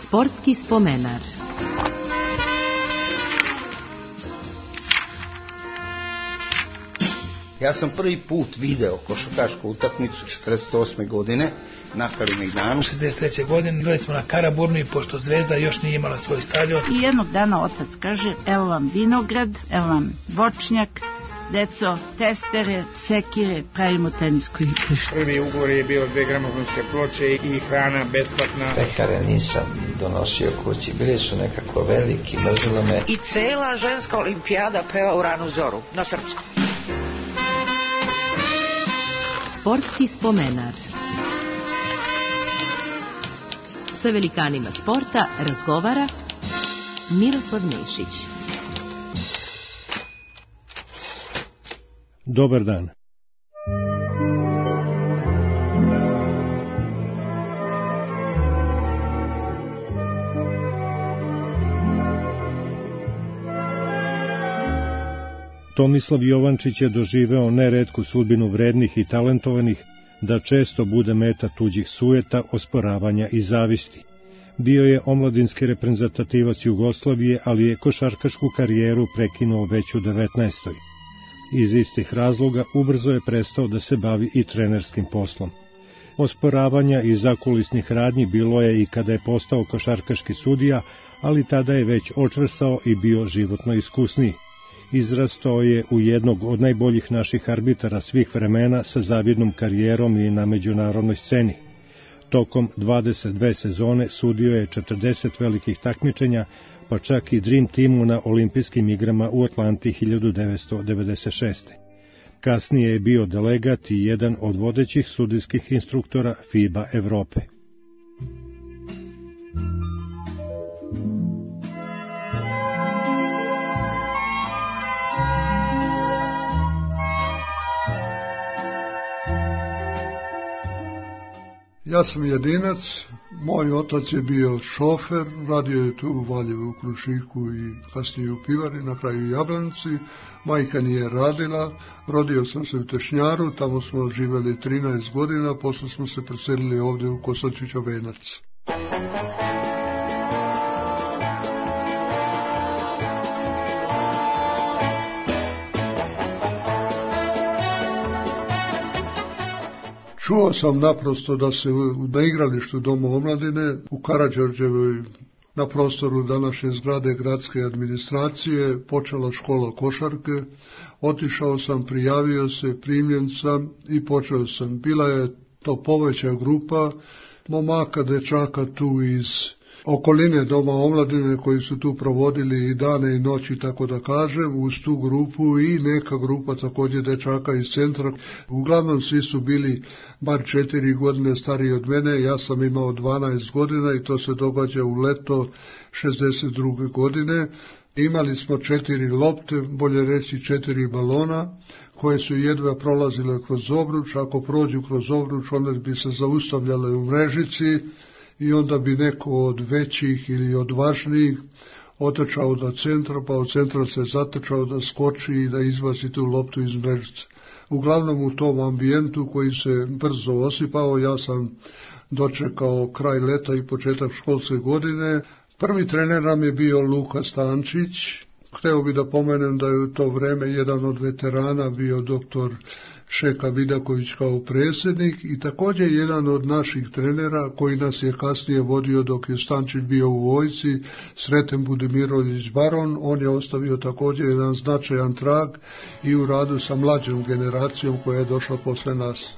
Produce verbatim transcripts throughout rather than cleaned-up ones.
Sportski spomenar. Ja sam prvi put video košarkašku utakmicu četrdeset osme godine na Kalemegdanu. šezdeset treće godine igrali smo na Karaburnu i pošto Zvezda još nije imala svoj stadion. I jednog dana otac kaže, evo vam vinograd, evo vam voćnjak, deco, testere, sekire, pravimo tenisko igrište. Prvi ugovor je bio dve gramofonske ploče i hrana besplatna. Pekare nisam donosio kući, bili su nekako veliki, mrzilo me. I cela ženska olimpijada peva u ranu zoru, na srpskom. Sportski spomenar. Sa velikanima sporta razgovara Miroslav Nešić. Dobar dan. Tomislav Jovančić je doživeo neretku sudbinu vrednih i talentovanih, da često bude meta tuđih sujeta, osporavanja i zavisti. Bio je omladinski reprezentativac Jugoslavije, ali je košarkašku karijeru prekinuo već u devetnaestoj. Iz istih razloga ubrzo je prestao da se bavi i trenerskim poslom. Osporavanja i zakulisnih radnji bilo je i kada je postao košarkaški sudija, ali tada je već očvrsao i bio životno iskusniji. Izrastao je u jednog od najboljih naših arbitara svih vremena sa zavidnom karijerom i na međunarodnoj sceni. Tokom dvadeset dve sezone sudio je četrdeset velikih takmičenja, pa čak i Dream Teamu na olimpijskim igrama u Atlanti hiljadu devetsto devedeset šeste. Kasnije je bio delegat i jedan od vodećih sudijskih instruktora FIBA Evrope. Ja sam jedinac, moj otac je bio šofer, radio je tu u Valjevu, u Krušiku i kasnije u Pivari, na kraju u Jablanici. Majka nije radila, rodio sam se u Tešnjaru, tamo smo živjeli trinaest godina, posle smo se preselili ovdje u Kosačića Venac. Čuo sam naprosto da se na igralištu Doma omladine u Karađorđevoj, na prostoru današnje zgrade gradske administracije, počela škola košarke. Otišao sam, prijavio se, primljen sam i počeo sam. Bila je to poveća grupa momaka, dečaka tu iz okoline Doma omladine koji su tu provodili i dane i noći, tako da kažem, uz tu grupu i neka grupa također dečaka iz centra. Uglavnom svi su bili bar četiri godine stariji od mene, ja sam imao dvanaest godina i to se događa u leto šezdeset druge godine. Imali smo četiri lopte, bolje reći četiri balona, koje su jedva prolazile kroz obruč. Ako prođu kroz obruč, one bi se zaustavljale u mrežici, i onda bi neko od većih ili od važnijih otrčao do centra, pa od centra se zatrčao da skoči i da izbaci tu loptu iz mrežice. Uglavnom u tom ambijentu koji se brzo osipao, ja sam dočekao kraj leta i početak školske godine. Prvi trener nam je bio Luka Stančić. Hteo bi da pomenem da je u to vreme jedan od veterana bio doktor Šeka Vidaković kao predsjednik i također jedan od naših trenera koji nas je kasnije vodio dok je Stančić bio u vojsci, Sreten Budimirović Baron. On je ostavio također jedan značajan trag i u radu sa mlađom generacijom koja je došla posle nas.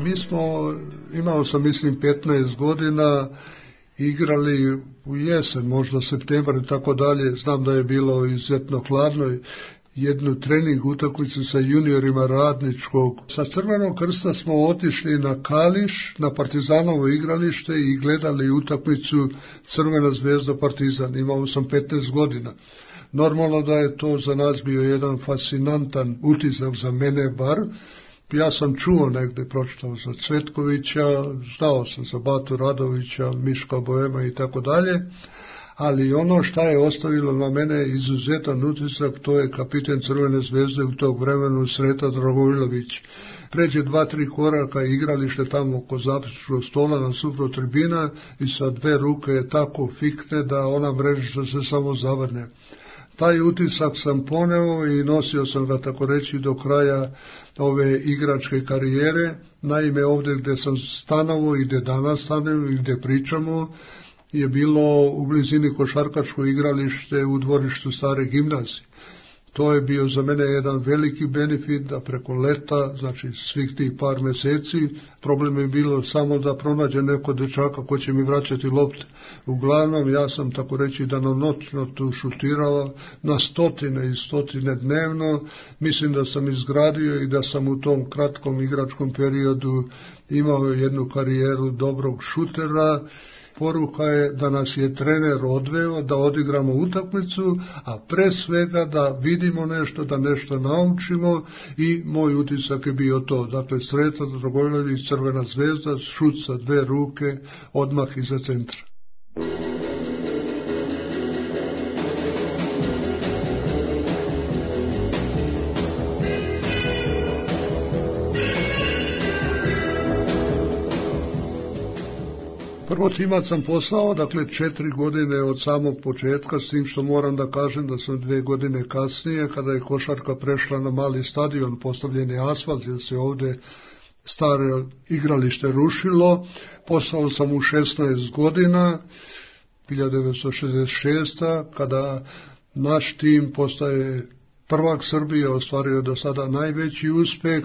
Mi smo, imao sam mislim petnaest godina, igrali u jesen, možda septembar i tako dalje. Znam da je bilo izuzetno hladno, jednu trening utakmicu sa juniorima Radničkog. Sa Crvenog krsta smo otišli na Kališ, na Partizanovo igralište i gledali utakmicu Crvena zvezda Partizan. Imao sam petnaest godina. Normalno da je to za nas bio jedan fascinantan utisak, za mene bar. Ja sam čuo negde, pročitao za Cvetkovića, znao sam za Batu Radovića, Miška Boema i tako dalje, ali ono šta je ostavilo na mene izuzetan utisak, to je kapiten Crvene zvezde u tog vremenu Sreta Dragojlović. Pređe dva, tri koraka igralište tamo oko zapisničkog stola na suprot tribina i sa dve ruke je tako fikne da ona mrežica se samo zavrne. Taj utisak sam poneo i nosio sam ga tako reći do kraja ove igračke karijere. Naime, ovdje gdje sam stanovo i gdje danas stanemo i gdje pričamo je bilo u blizini košarkaško igralište u dvorištu stare gimnazije. To je bio za mene jedan veliki benefit da preko leta, znači svih tih par mjeseci, problem je bilo samo da pronađe neko dečaka ko će mi vraćati lopte. Uglavnom, ja sam tako reći danonoćno tu šutirao na stotine i stotine dnevno. Mislim da sam izgradio i da sam u tom kratkom igračkom periodu imao jednu karijeru dobrog šutera. Poruka je da nas je trener odveo da odigramo utakmicu, a pre svega da vidimo nešto, da nešto naučimo i moj utisak je bio to. Dakle, Sreta Dragojlović, Crvena zvezda, šut sa dve ruke, odmah iza centra. Prvo timac sam poslao, dakle četiri godine od samog početka, s tim što moram da kažem da sam dve godine kasnije, kada je košarka prešla na mali stadion, postavljen je asfalt, jer se ovdje stare igralište rušilo, poslao sam u šesnaest godina, hiljadu devetsto šezdeset šeste. kada naš tim postaje prvak Srbije, ostvario do sada najveći uspeh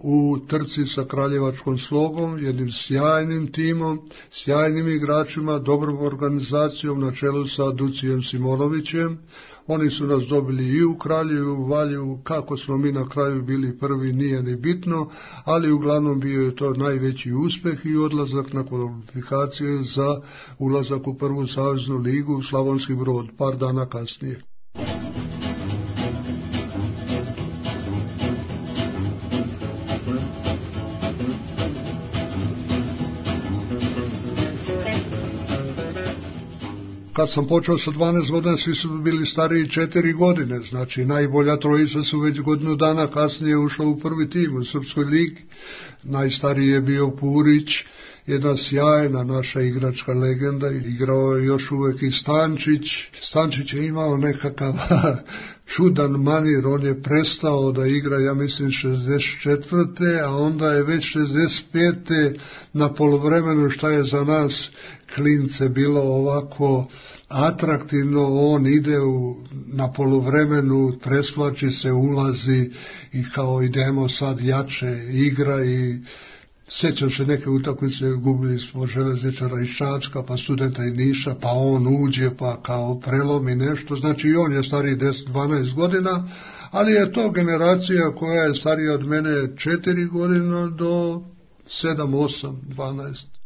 u trci sa Kraljevačkom Slogom, jednim sjajnim timom, sjajnim igračima, dobrom organizacijom na čelu sa Ducijem Simonovićem. Oni su nas dobili i u Kraljevu, i u Valjevu. Kako smo mi na kraju bili prvi nije ni bitno, ali uglavnom bio je to najveći uspeh i odlazak na kvalifikacije za ulazak u prvu saveznu ligu u Slavonski Brod, par dana kasnije. Kad sam počeo sa dvanaest godina, svi su bili stariji četiri godine, znači najbolja trojica su već godinu dana kasnije ušla u prvi tim u Srpskoj ligi. Najstariji je bio Purić, jedna sjajna naša igračka legenda, igrao je još uvijek i Stančić. Stančić je imao nekakav čudan manir, on je prestao da igra, ja mislim, šezdeset četvrte. a onda je već šezdeset pete na poluvremenu, šta je za nas klince bilo ovako atraktivno, on ide u, na poluvremenu, presvlači se, ulazi i kao idemo sad jače, igra. I sjećam se neke utakmice, gubili smo Željezničara iz Čačka, pa Studenta iz Niša, pa on uđe, pa kao prelomi nešto, znači i on je stariji deset dvanaest godina, ali je to generacija koja je starija od mene četiri godina do sedam osam dvanaest.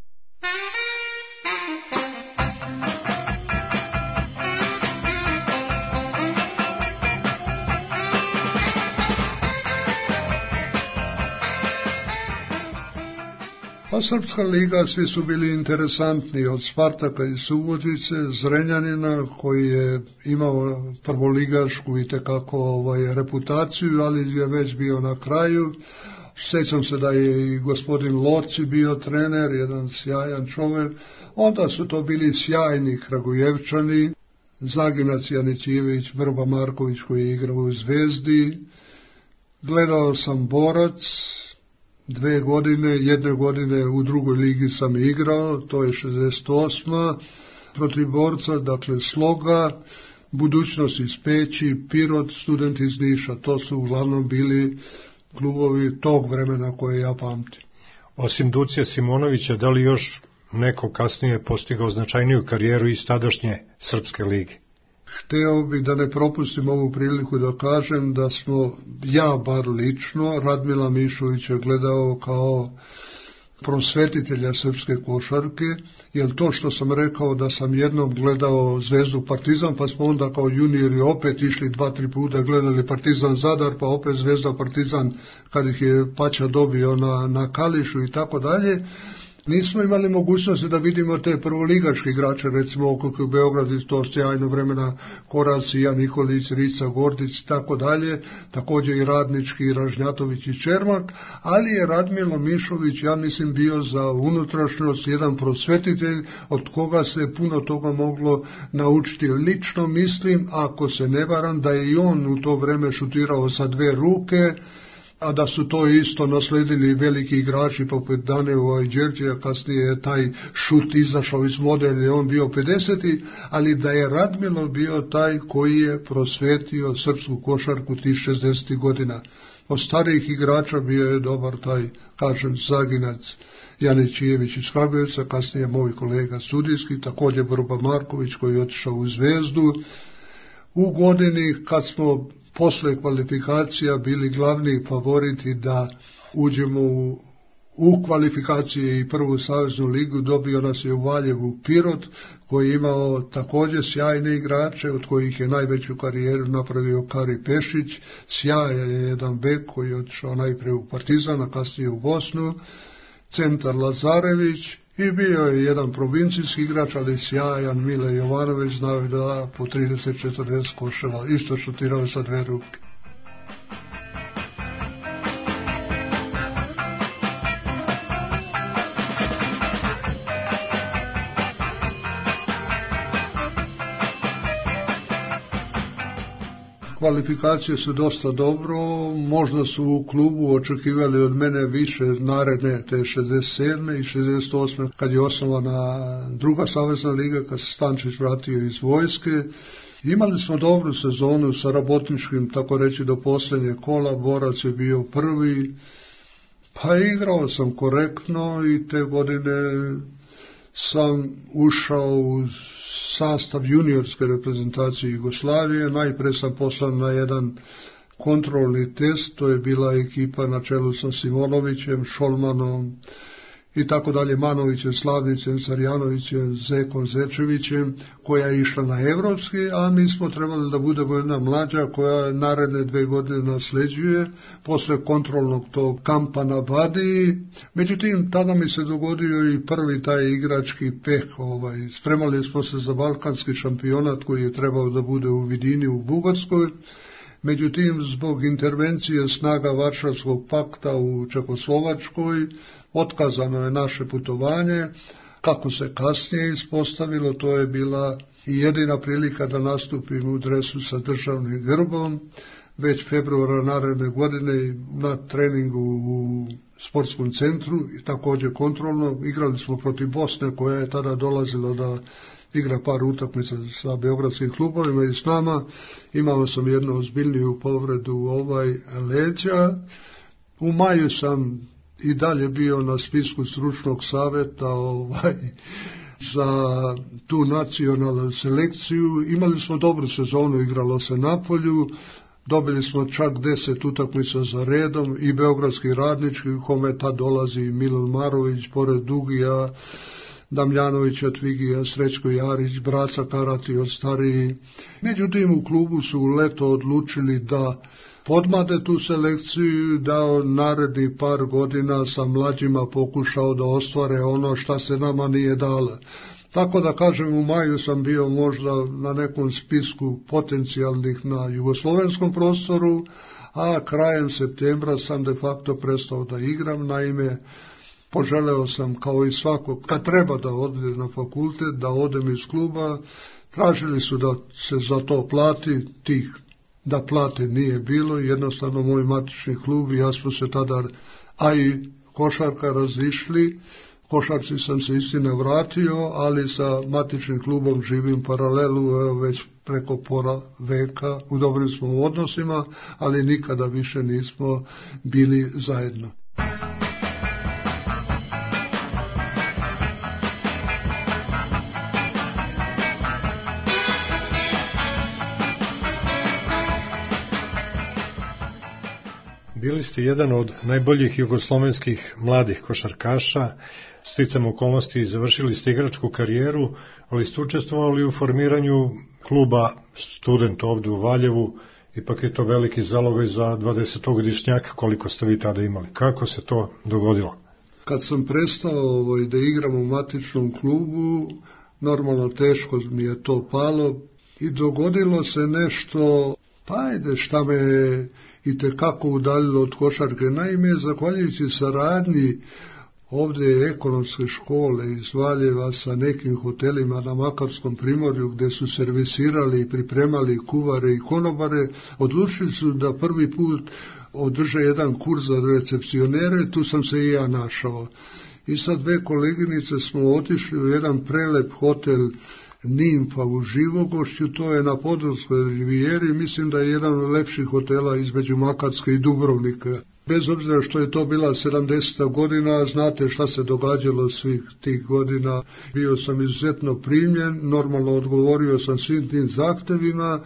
Pa Srpska liga, svi su bili interesantni, od Spartaka i Subotice, Zrenjanina koji je imao prvoligašku i tekako ovaj, reputaciju, ali je već bio na kraju. Sjećam se da je i gospodin Loci bio trener, jedan sjajan čovjek. Onda su to bili sjajni Kragujevčani, Zaginac Janićijević, Vrba Marković koji je igrao u Zvezdi. Gledao sam Borac, dve godine, jedne godine u drugoj ligi sam igrao, to je šezdeset osma protiv Borca, dakle Sloga, Budućnost iz Peći, Pirot, Student iz Niša, to su uglavnom bili klubovi tog vremena koje ja pamtim. Osim Ducija Simonovića, da li još neko kasnije postigao značajniju karijeru iz tadašnje Srpske lige? Hteo bih da ne propustim ovu priliku da kažem da smo, ja bar lično, Radmila Mišovića gledao kao prosvetitelja srpske košarke, jer to što sam rekao da sam jednom gledao Zvezdu Partizan, pa smo onda kao juniori opet išli dva, tri puta gledali Partizan Zadar, pa opet Zvezda Partizan kad ih je Pača dobio na, na Kališu i tako dalje. Nismo imali mogućnosti da vidimo te prvoligaške igrače, recimo Okok u Beogradu, to sjajno vremena, Korac, Jan Nikolić, Rica, Gordić i tako dalje, također i Radnički, Ražnjatović i Čermak, ali je Radmilo Mišović, ja mislim, bio za unutrašnjost jedan prosvetitelj od koga se puno toga moglo naučiti. Lično mislim, ako se ne varam, da je i on u to vreme šutirao sa dve ruke, a da su to isto nasledili veliki igrači poput Daneva i Đerđeja, kasnije je taj šut izašao iz mode, je on bio pedeseti, ali da je Radmilo bio taj koji je prosvetio srpsku košarku tih šezdesetih godina. Od starijih igrača bio je dobar taj, kažem, Zaginac, Janićijević iz Kragujevca, kasnije moj kolega sudijski, također Vrba Marković koji je otišao u Zvezdu. U godini kad smo posle kvalifikacija bili glavni favoriti da uđemo u, u kvalifikacije i prvu saveznu ligu, dobio nas je u Valjevu Pirot, koji je imao također sjajne igrače, od kojih je najveću karijeru napravio Kari Pešić, sjajan je jedan bek koji je otišao najprije u Partizan, a kasnije u Bosnu, centar Lazarević, i bio je jedan provincijski igrač, ali sjajan Mile Jovanović, znao je da po trideset četrdeset koševa, isto šutirao sa dve ruke. Kvalifikacije su dosta dobro, možda su u klubu očekivali od mene više naredne, te šezdeset sedme i šezdeset osme kad je osnovana druga savezna liga, kad se Stančić vratio iz vojske. Imali smo dobru sezonu sa Rabotničkim, tako reći, do posljednje kola, Borac je bio prvi, pa igrao sam korektno i te godine sam ušao u sastav juniorske reprezentacije Jugoslavije. Najprije sam poslan na jedan kontrolni test, to je bila ekipa na čelu sa Simonovićem, Šolmanom i tako dalje, Manovićem, Slavnicem, Sarjanovićem, Zekom Zečevićem, koja je išla na evropski, a mi smo trebali da budemo jedna mlađa koja naredne dve godine nasleđuje posle kontrolnog tog kampa na Badiji. Međutim, tada mi se dogodio i prvi taj igrački peh. Ovaj. Spremali smo se za balkanski šampionat koji je trebao da bude u Vidini u Bugarskoj. Međutim, zbog intervencije snaga Varšavskog pakta u Čekoslovačkoj, otkazano je naše putovanje. Kako se kasnije ispostavilo, to je bila i jedina prilika da nastupim u dresu sa državnim grbom. Već februara naredne godine na treningu u sportskom centru i također kontrolno igrali smo protiv Bosne, koja je tada dolazila da igra par utakmica sa beogradskim klubovima i s nama. Imao sam jednu ozbiljniju povredu ovaj leđa. U maju sam i dalje bio na spisku stručnog savjeta ovaj, za tu nacionalnu selekciju. Imali smo dobru sezonu, igralo se na polju, dobili smo čak deset utakmica za redom i beogradski Radnički, u kome tad dolazi Milan Marović, pored Dugija, Damljanovića, Tvigija, Srećko Jarić, Braca Karati od stariji. Međutim, u klubu su u leto odlučili da podmade tu selekciju, da naredni par godina sa mlađima pokušao da ostvare ono šta se nama nije dalo. Tako da kažem, u maju sam bio možda na nekom spisku potencijalnih na jugoslovenskom prostoru, a krajem septembra sam de facto prestao da igram. Naime, poželeo sam kao i svako, kad treba da ode na fakultet, da odem iz kluba. Tražili su da se za to plati, tih da plate nije bilo, jednostavno moj matični klub i ja smo se tada, a i košarka, razišli. Košarci sam se istina vratio, ali sa matičnim klubom živim paralelu, evo već preko pola veka, u dobrim smo odnosima, ali nikada više nismo bili zajedno. Bili ste jedan od najboljih jugoslovenskih mladih košarkaša, sticam okolnosti završili ste igračku karijeru, ali ste učestvovali u formiranju kluba Student ovdje u Valjevu, ipak je to veliki zalogaj za dvadesetogodišnjaka koliko ste vi tada imali. Kako se to dogodilo? Kad sam prestao ovaj, da igram u matičnom klubu, normalno teško mi je to palo i dogodilo se nešto, pa ajde šta me i tekako udaljilo od košarke. Naime, zahvaljujući saradnji ovdje ekonomske škole iz Valjeva sa nekim hotelima na Makarskom primorju gdje su servisirali i pripremali kuvare i konobare, odlučili su da prvi put održe jedan kurs za recepcionere, tu sam se i ja našao. I sad dve koleginice smo otišli u jedan prelep hotel Nimfa u Živogošću, to je na Podravskoj rivijeri, mislim da je jedan od lepših hotela između Makarske i Dubrovnika. Bez obzira što je to bila sedamdeseta godina, znate šta se događalo svih tih godina. Bio sam izuzetno primljen, normalno odgovorio sam svim tim zahtevima.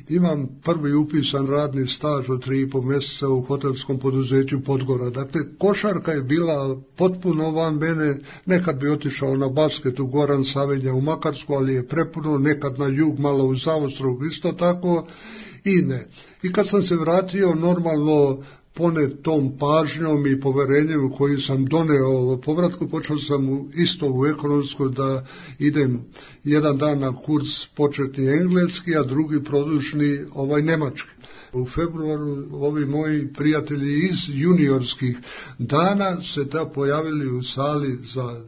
Imam prvi upisan radni staž od tri i po mjeseca u hotelskom poduzeću Podgora. Dakle, košarka je bila potpuno van mene. Nekad bi otišao na basket u Goran Savinja u Makarsku, ali je prepuno, nekad na jug, malo u Zaostrog, isto tako i ne. I kad sam se vratio, normalno, ponet tom pažnjom i poverenjem koji sam doneo povratku, počeo sam isto u ekonomsku da idem jedan dan na kurs početni engleski, a drugi produžni ovaj nemački. U februaru ovi moji prijatelji iz juniorskih dana se da pojavili u sali za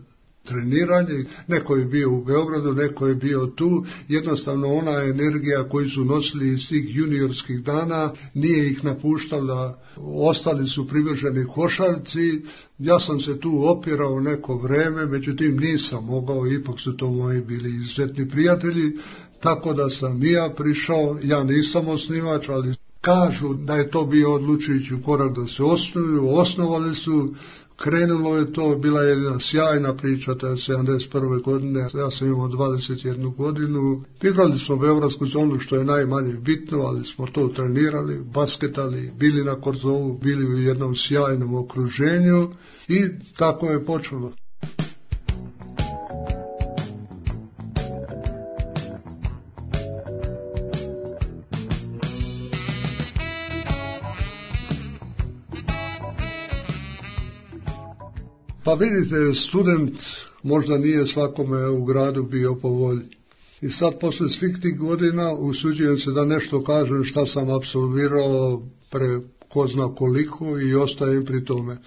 treniranje, neko je bio u Beogradu, neko je bio tu, jednostavno ona energija koju su nosili iz svih juniorskih dana nije ih napuštala, ostali su privrženi košarci. Ja sam se tu opirao neko vreme, međutim nisam mogao, ipak su to moji bili izuzetni prijatelji, tako da sam i ja prišao, ja nisam osnivač, ali kažu da je to bio odlučujući korak da se osnuju, osnovali su. Krenulo je to, bila je jedna sjajna priča, to je sedamdeset prve godine, ja sam imao dvadeset jednu godinu. Igrali smo beogradsku zonu, što je najmanje bitno, ali smo to trenirali, basketali, bili na Korzovu, bili u jednom sjajnom okruženju i tako je počelo. Pa vidite, student možda nije svakome u gradu bio po volji. I sad posle svih tih godina usuđujem se da nešto kažem šta sam apsolvirao pre ko zna koliko i ostajem pri tome.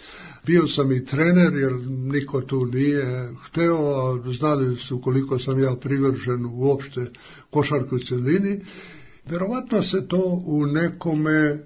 Bio sam i trener jer niko tu nije hteo, a znali su koliko sam ja privržen uopšte košarku celini. Verovatno se to u nekome,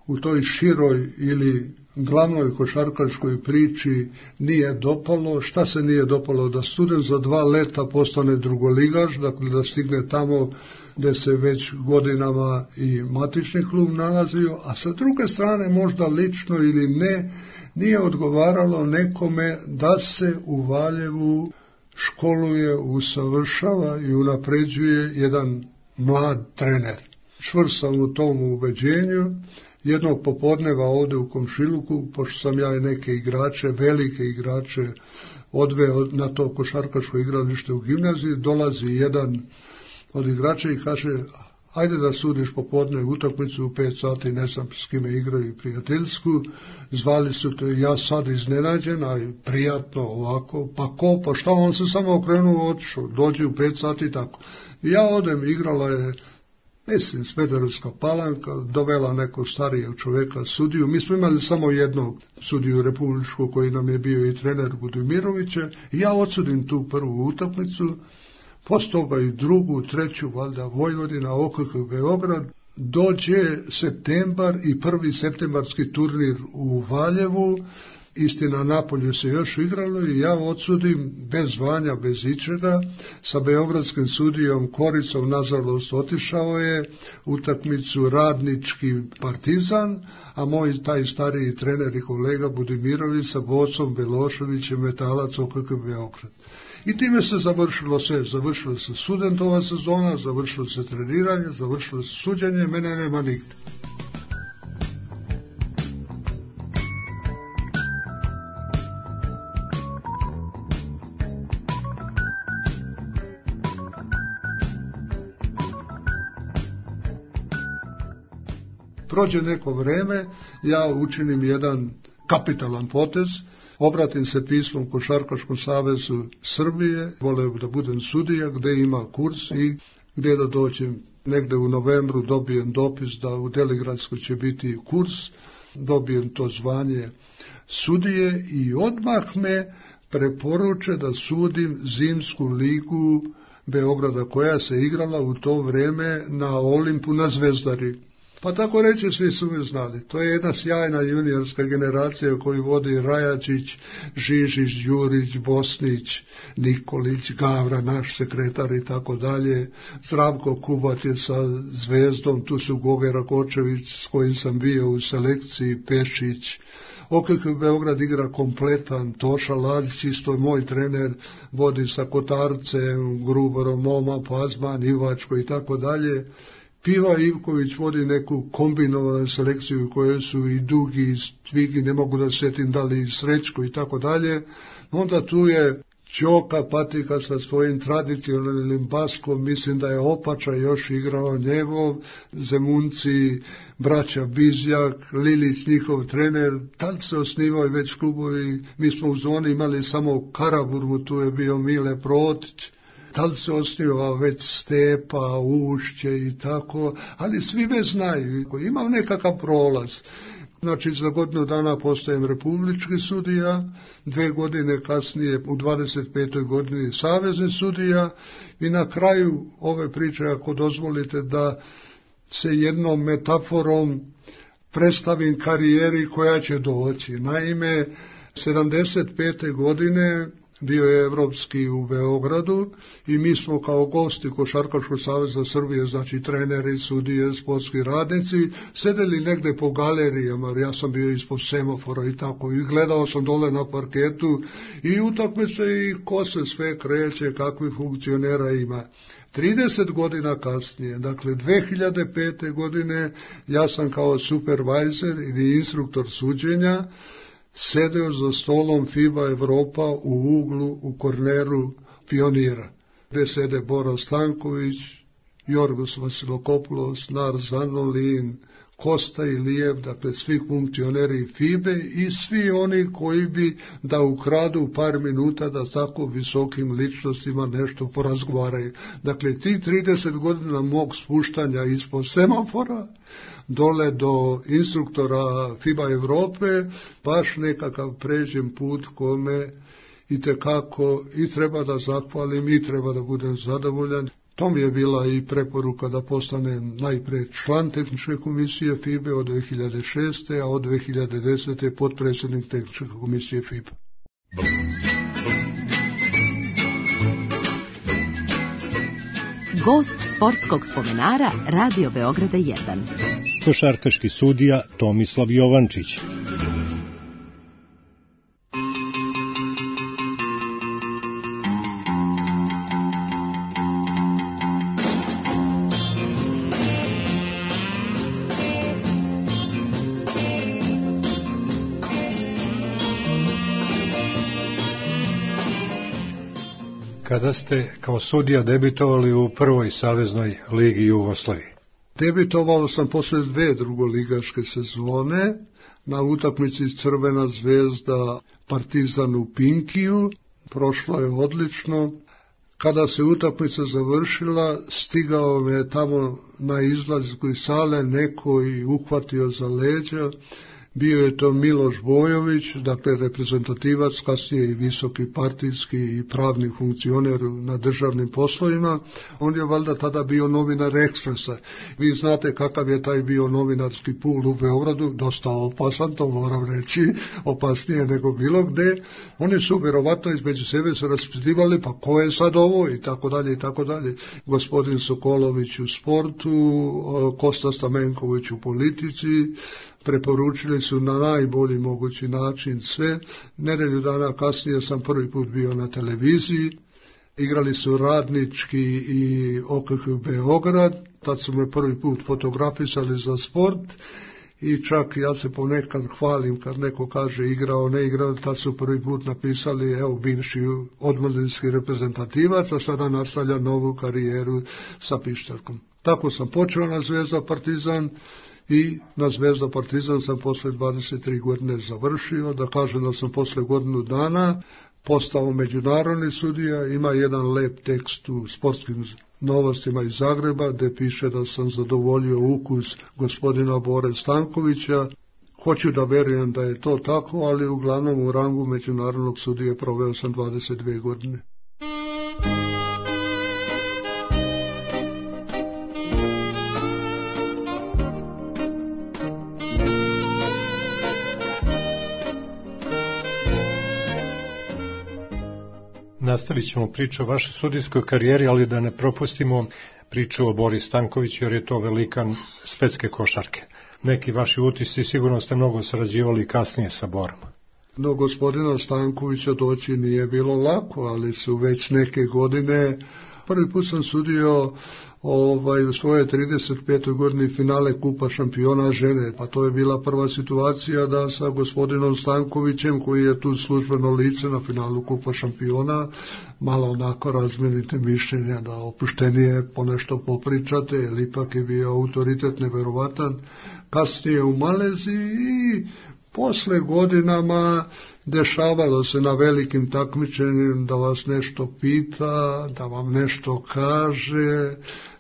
u toj široj ili glavnoj košarkaškoj priči nije dopalo. Šta se nije dopalo? Da student za dva leta postane drugoligaš, dakle da stigne tamo gde se već godinama i matični klub nalazio, a sa druge strane možda lično ili ne, nije odgovaralo nekome da se u Valjevu školuje, usavršava i unapređuje jedan mlad trener. Čvrst sam u tom ubeđenju. Jednog popodneva ovdje u komšiluku, pošto sam ja i neke igrače, velike igrače, odveo na to košarkaško igralište u gimnaziji, dolazi jedan od igrača i kaže, ajde da sudiš popodne utakmicu u pet sati, ne znam s kime igraju prijateljsku, zvali su te, ja sad iznenađen, a prijatno ovako, pa ko, pa šta, on se samo okrenuo, otišao, dođe u pet sati i tako. I ja odem, igrala je, mislim, Smederevska Palanka, dovela nekog starijeg čoveka sudiju. Mi smo imali samo jednog sudiju republičkog koji nam je bio i trener Budimirovića. I ja odsudim tu prvu utakmicu, posle toga i drugu, treću, valjda Vojvodina, O K K Beograd. Dođe septembar i prvi septembarski turnir u Valjevu. Istina, Napolju se još igralo i ja odsudim bez zvanja, bez ičega, sa beogradskim sudijom Koricom, nažalost otišao je utakmicu Radnički Partizan, a moj taj stariji trener i kolega Budimirović sa Vocom Beloševićem, Metalac O K K Beograd. I time se završilo sve, završilo se studentova sezona, završilo se treniranje, završilo se suđenje, mene nema nigde. Prođe neko vreme, ja učinim jedan kapitalan potez, obratim se pismom Košarkaškom savezu Srbije, voleo da budem sudija, gde ima kurs i gde da dođem negde u novembru, dobijem dopis da u Deligradskoj će biti kurs, dobijem to zvanje sudije i odmah me preporuče da sudim zimsku ligu Beograda koja se igrala u to vreme na Olimpu na Zvezdari. Pa tako reći, svi su me znali. To je jedna sjajna juniorska generacija koju vodi Rajačić, Žižić, Đurić, Bosnić, Nikolić, Gavra, naš sekretar i tako dalje. Zdravko Kubac je sa Zvezdom, tu su Goge Rakočević s kojim sam bio u selekciji, Pešić. O K K Beograd igra kompletan, Toša Lazić, isto je moj trener, vodi sa Kotarcem, Gruborom, Moma, Pazman, Ivačko i tako dalje. Piva Ivković vodi neku kombinovanu selekciju koje su i Dugi, i Tvigi, ne mogu da setim da li i Srećko i tako dalje. Onda tu je Ćoka Patika sa svojim tradicionalnim baskom, mislim da je Opača još igrao njegov, Zemunci, braća Bizjak, Lilić, njihov trener, tad se osnivaju već klubovi, mi smo u zoni imali samo Karaburgu, tu je bio Mile Protić, tad se osnivao već Stepa, Ušće i tako, ali svi me znaju, imam nekakav prolaz. Znači, za godinu dana postajem republički sudija, dve godine kasnije, u dvadeset petoj godini savezni sudija i na kraju ove priče, ako dozvolite da se jednom metaforom predstavim karijeri koja će doći. Naime, sedamdeset pete godine bio je evropski u Beogradu i mi smo kao gosti Košarkaškog saveza Srbije, znači treneri, sudije, sportski radnici, sedeli negde po galerijama, ja sam bio ispod semafora i tako, i gledao sam dole na parketu i utakmice i ko se sve kreće, kakvi funkcionera ima. trideset godina kasnije, dakle dve hiljade pete godine, ja sam kao supervajzer ili instruktor suđenja sedeo za stolom FIBA Evropa u uglu u korneru Pionira, gde sede Bora Stanković, Jorgos Vasilokopoulos, Nar Zanolin, Kosta Ilijev, dakle svi funkcioneri FIBE i svi oni koji bi da ukradu par minuta da tako visokim ličnostima nešto porazgovaraju. Dakle, ti trideset godina mog spuštanja ispod semafora dole do instruktora FIBA Evrope, baš nekakav pređen put kome i tekako i treba da zahvalim i treba da budem zadovoljan. To mi je bila i preporuka da postanem najpre član tehničke komisije FIBE od dve hiljade šeste. a od dve hiljade desete. potpredsjednik tehničke komisije FIBE. Gost sportskog spomenara Radio Beograda jedan. Košarkaški sudija Tomislav Jovančić. Kada ste kao sudija debitovali u prvoj saveznoj ligi Jugoslavije? Debitovao sam posle dve drugoligaške sezone na utakmici Crvena zvezda Partizan u Pinkiju. Prošlo je odlično. Kada se utakmica završila, stigao me tamo na izlazku iz sale neko i uhvatio za leđa. Bio je to Miloš Bojović, dakle reprezentativac, kasnije i visoki partijski i pravni funkcioner na državnim poslovima. On je valjda tada bio novinar Ekspresa. Vi znate kakav je taj bio novinarski pul u Beogradu, dosta opasan, to moram reći, opasnije nego bilo gde. Oni su vjerovatno između sebe se raspitivali, pa ko je sad ovo i tako dalje i tako dalje. Gospodin Sokolović u sportu, Kosta Stamenković u politici, preporučili su na najbolji mogući način sve. Nedelju dana kasnije sam prvi put bio na televiziji. Igrali su Radnički i O K H Beograd. Tad su me prvi put fotografisali za sport. I čak ja se ponekad hvalim kad neko kaže igrao, ne igrao, tad su prvi put napisali evo bivši omladinski reprezentativac, a sada nastavlja novu karijeru sa pištaljkom. Tako sam počeo na Zvezda Partizan i na Zvezda Partizan sam posle dvadeset tri godine završio. Da kažem da sam posle godinu dana postao međunarodni sudija. Ima jedan lep tekst u Sportskim novostima iz Zagreba gde piše da sam zadovoljio ukus gospodina Bore Stankovića. Hoću da verujem da je to tako, ali uglavnom u rangu međunarodnog sudije proveo sam dvadeset dve godine. Nastavit ćemo priču o vašoj sudijskoj karijeri, ali da ne propustimo priču o Bori Stankoviću, jer je to velikan svetske košarke. Neki vaši utisci, sigurno ste mnogo sarađivali kasnije sa Borom. No, gospodina Stankovića doći nije bilo lako, ali su već neke godine. Prvi put sam sudio ovaj, u svoje trideset petoj godini finale Kupa šampiona žene, pa to je bila prva situacija da sa gospodinom Stankovićem, koji je tu službeno lice na finalu Kupa šampiona, malo onako razmenite mišljenja, da opuštenije ponešto popričate, jer ipak je bio autoritet neverovatan. Kasnije u Maleziji i posle godinama dešavalo se na velikim takmičenjima da vas nešto pita, da vam nešto kaže,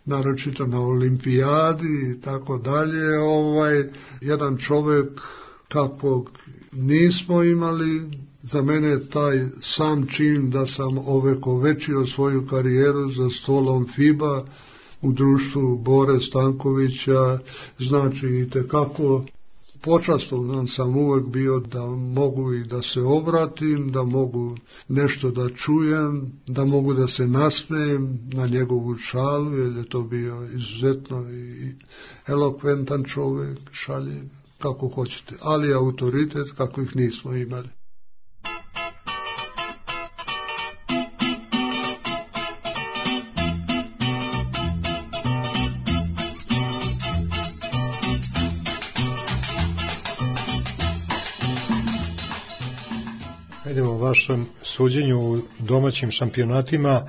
naročito na olimpijadi i tako dalje. Ovaj, jedan čovjek kakvog nismo imali, za mene taj sam čin da sam ovekovečio svoju karijeru za stolom FIBA u društvu Bore Stankovića, znači i tekako počastovan sam uvek bio da mogu i da se obratim, da mogu nešto da čujem, da mogu da se nasmejem na njegovu šalu, jer je to bio izuzetno i elokventan čovjek, šalje kako hoćete, ali autoritet kako ih nismo imali. Idemo u vašem suđenju u domaćim šampionatima,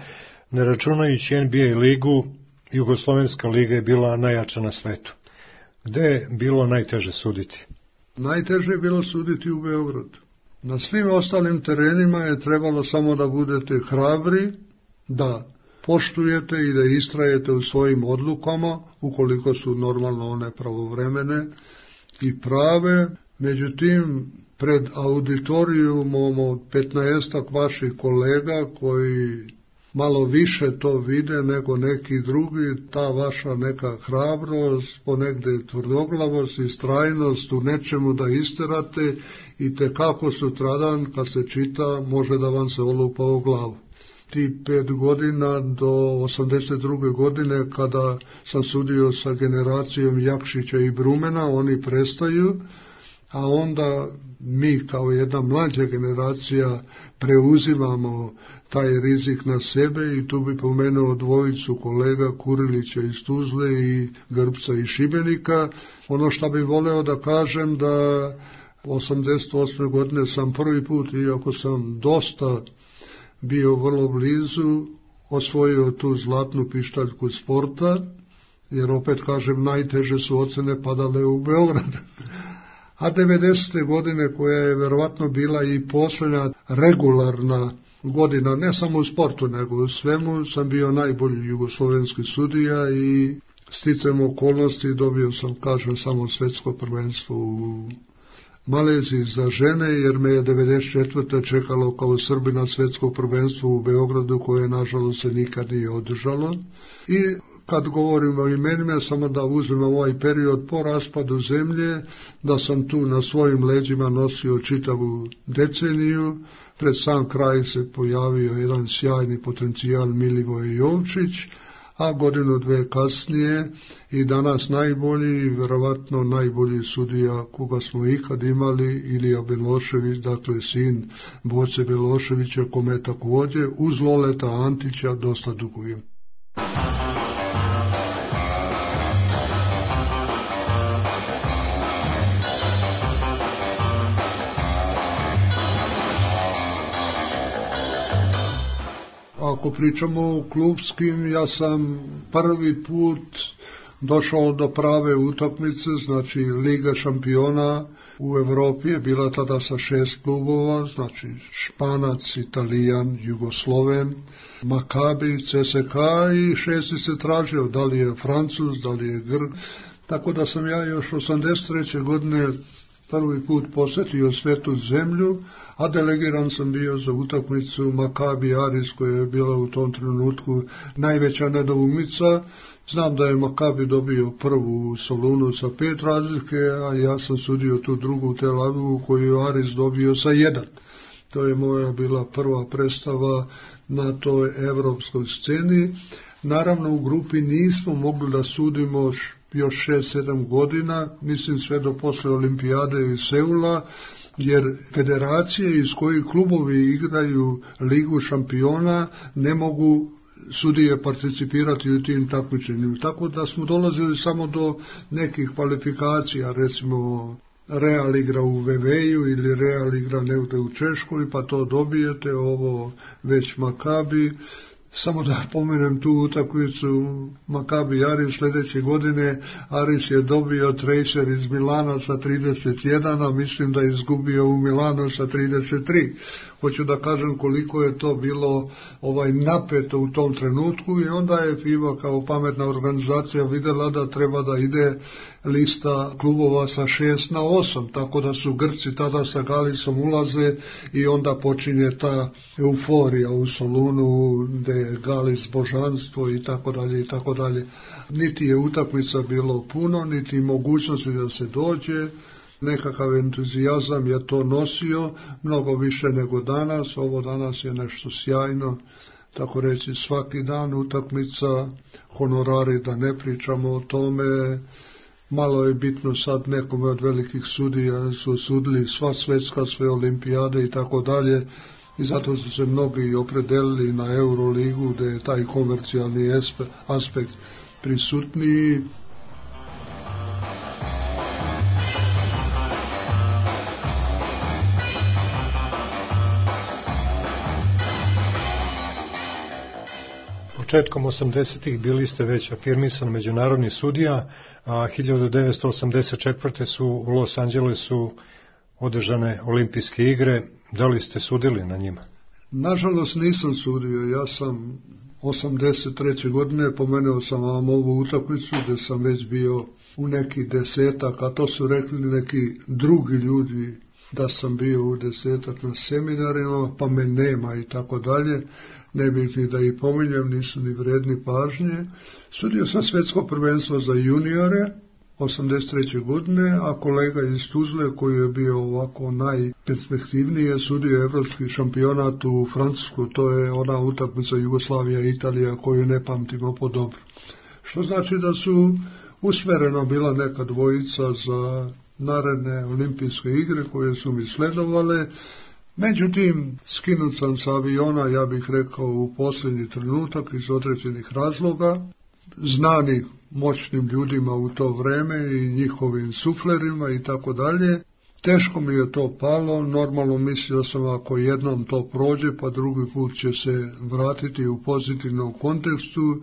ne računajući N B A ligu, Jugoslovenska liga je bila najjača na svetu. Gde je bilo najteže suditi? Najteže je bilo suditi u Beogradu. Na svim ostalim terenima je trebalo samo da budete hrabri, da poštujete i da istrajete u svojim odlukama, ukoliko su normalno one pravovremene i prave. Međutim, pred auditorijumom od petnaestak vaših kolega koji malo više to vide nego neki drugi, ta vaša neka hrabrost, ponegde tvrdoglavost i strajnost u nečemu da isterate i tekako sutradan kad se čita može da vam se olupa u glavu. Ti pet godina do osamdeset druge godine kada sam sudio sa generacijom Jakšića i Brumena, oni prestaju, a onda mi kao jedna mlađa generacija preuzimamo taj rizik na sebe i tu bi pomenuo dvojicu kolega Kurilića iz Tuzle i Grbca iz Šibenika. Ono što bi voleo da kažem da osamdeset osme godine sam prvi put, iako sam dosta bio vrlo blizu, osvojio tu zlatnu pištaljku sporta, jer opet kažem najteže su ocene padale u Beogradu. A devedesete godine, koja je verovatno bila i posljednja regularna godina, ne samo u sportu, nego u svemu, sam bio najbolji jugoslovenski sudija i sticam okolnosti dobio sam, kažem, samo svetsko prvenstvo u Maleziji za žene, jer me je devedeset četvrte čekalo kao Srbina svetsko prvenstvo u Beogradu, koje nažalost se nikad nije održalo. I kad govorimo o imenima, samo da uzmemo ovaj period po raspadu zemlje, da sam tu na svojim leđima nosio čitavu deceniju. Pred sam kraj se pojavio jedan sjajni potencijal Milivoje Jovčić, a godinu dve kasnije i danas najbolji, verovatno najbolji sudija koga smo ikad imali, Ilija Belošević, dakle sin Boce Beloševića, kome također uz Loleta Antića dosta dugujem. Ako pričamo o klubskim, ja sam prvi put došao do prave utakmice, znači Liga šampiona u Evropi je bila tada sa šest klubova, znači Španac, Italijan, Jugosloven, Makabi, C S K A i šesti se tražio, da li je Francuz, da li je Grk, tako da sam ja još osamdeset treće godine prvi put posjetio svetu zemlju, a delegiran sam bio za utakmicu Makabi Aris koja je bila u tom trenutku najveća nedoumica. Znam da je Makabi dobio prvu u Solunu sa pet razlike, a ja sam sudio tu drugu u Tel Avivu koju je Aris dobio sa jedan. To je moja bila prva predstava na toj evropskoj sceni. Naravno u grupi nismo mogli da sudimo još šest sedam godina, mislim sve do posle olimpijade iz Seula, jer federacije iz kojih klubovi igraju Ligu šampiona ne mogu sudije participirati u tim takmičenjima. Tako da smo dolazili samo do nekih kvalifikacija, recimo Real igra u Veveju ili Real igra negde u Češkoj, pa to dobijete, ovo već Makabi. Samo da pomenem tu utakmicu Makabi Aris sljedeće godine, Aris je dobio Tracer iz Milana sa trideset jedan, a mislim da je izgubio u Milanu sa trideset tri. Hoću da kažem koliko je to bilo ovaj napeto u tom trenutku i onda je FIBA kao pametna organizacija vidjela da treba da ide lista klubova sa šest na osam, tako da su Grci tada sa Galisom ulaze i onda počinje ta euforija u Solunu gde je Galis božanstvo i tako dalje i tako dalje. Niti je utakmica bilo puno, niti mogućnosti da se dođe, nekakav entuzijazam je to nosio, mnogo više nego danas, ovo danas je nešto sjajno, tako reći svaki dan utakmica, honorari da ne pričamo o tome. Malo je bitno sad nekome od velikih sudija su sudili sva svetska, sve olimpijade i tako dalje i zato su se mnogi opredelili na Euroligu gdje je taj komercijalni aspekt prisutniji. Početkom osamdesetih bili ste već afirmisan međunarodni sudija, a hiljadu devetsto osamdeset četvrte su u Los Angelesu održane olimpijske igre. Da li ste sudili na njima? Nažalost nisam sudio, ja sam osamdeset treće godine pomenuo sam vam ovu utakmicu gdje sam već bio u neki desetak, a to su rekli neki drugi ljudi da sam bio u desetak na seminarima, pa me nema i tako dalje. Ne bih ni da ih pominjem, nisu ni vredni pažnje. Sudio sam svjetsko prvenstvo za juniore osamdeset treće godine, a kolega iz Tuzle koji je bio ovako najperspektivniji je sudio evropski šampionat u Francusku, to je ona utakmica Jugoslavija i Italija koju ne pamtimo po dobro. Što znači da su usmerena bila neka dvojica za naredne olimpijske igre koje su mi sledovale. Međutim, skinut sam sa aviona, ja bih rekao, u posljednji trenutak iz određenih razloga, znani moćnim ljudima u to vreme i njihovim suflerima i tako dalje. Teško mi je to palo, normalno mislio sam ako jednom to prođe, pa drugi put će se vratiti u pozitivnom kontekstu,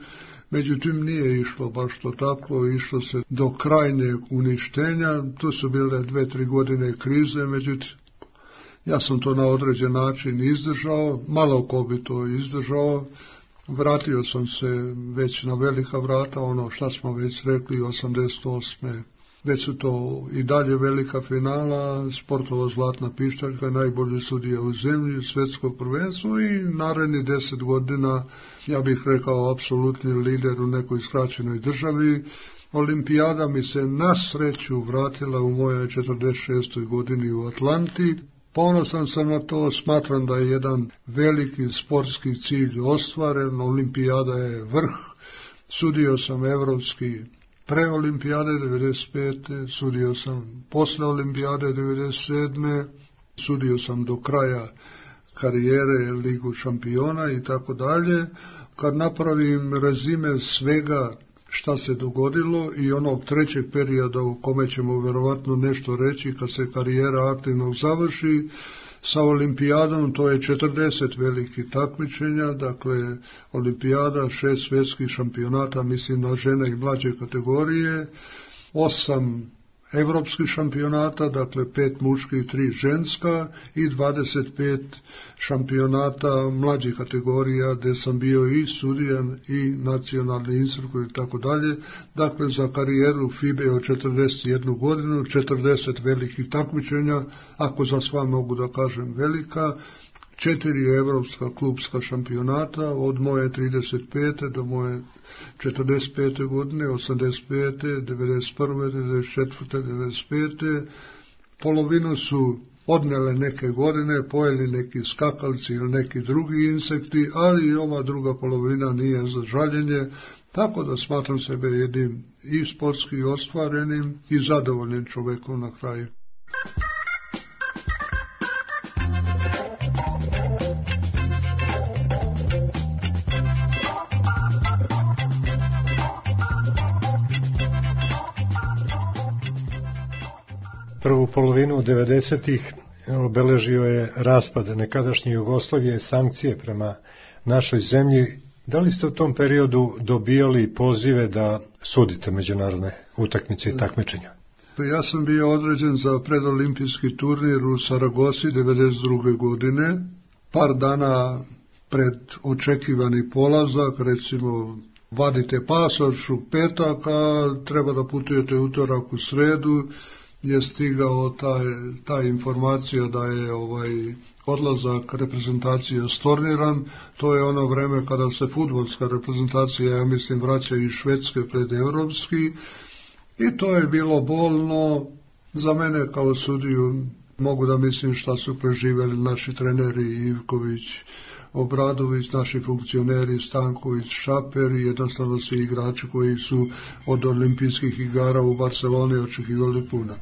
međutim nije išlo baš to tako, išlo se do krajnjeg uništenja, tu su bile dve, tri godine krize, međutim ja sam to na određen način izdržao, malo ko bi to izdržao, vratio sam se već na velika vrata, ono šta smo već rekli, osamdeset osme Već su to i dalje velika finala, sportova Zlatna pištaljka, najbolji sudija u zemlji, svjetsko prvenstvo i naredni deset godina, ja bih rekao, apsolutni lider u nekoj skraćenoj državi. Olimpijada mi se na sreću vratila u mojoj četrdeset šestoj godini u Atlanti. Ponosan sam na to, smatram da je jedan veliki sportski cilj ostvaren, olimpijada je vrh, sudio sam evropski pre olimpijade devedeset pete sudio sam posle olimpijade devedeset sedme sudio sam do kraja karijere Ligu šampiona i tako dalje. Kad napravim rezime svega šta se dogodilo i onog trećeg perioda u kome ćemo verovatno nešto reći kad se karijera aktivno završi, Sa olimpijadom to je četrdeset velikih takmičenja, dakle olimpijada, šest svjetskih šampionata, mislim na žene i mlađe kategorije, osam evropskih šampionata, dakle pet muških, tri ženska i dvadeset pet šampionata mlađih kategorija gdje sam bio i sudijan i nacionalni instruktor i tako dalje. Dakle, za karijeru F I B E od četrdeset jednu godinu, četrdeset velikih takmičenja, ako za sva mogu da kažem velika, četiri evropska klubska šampionata od moje trideset pete do moje četrdeset pete godine, osamdeset pete, devedeset prve, devedeset četvrte, devedeset pete Polovinu su odnele neke godine, pojeli neki skakalci ili neki drugi insekti, ali i ova druga polovina nije za žaljenje, tako da smatram sebe jednim i sportski ostvarenim i zadovoljnim čovekom na kraju. Prvu polovinu devedesetih obeležio je raspad nekadašnje Jugoslavije, sankcije prema našoj zemlji. Da li ste u tom periodu dobijali pozive da sudite međunarodne utakmice i takmičenja? Ja sam bio određen za predolimpijski turnir u Saragosi devedeset druge godine. Par dana pred očekivani polazak, recimo vadite pasoš u petak, a treba da putujete utorak u sredu, je stigao taj, ta informacija da je ovaj odlazak reprezentacije storniran. To je ono vreme kada se fudbalska reprezentacija, ja mislim, vraća iz Švedske pred evropski, i to je bilo bolno za mene kao sudiju. Mogu da mislim šta su preživeli naši treneri Ivković, Obradović, naši funkcioneri Stanković, Šaper i jednostavno svi igrači koji su od olimpijskih igara u Barceloni očekivali puno.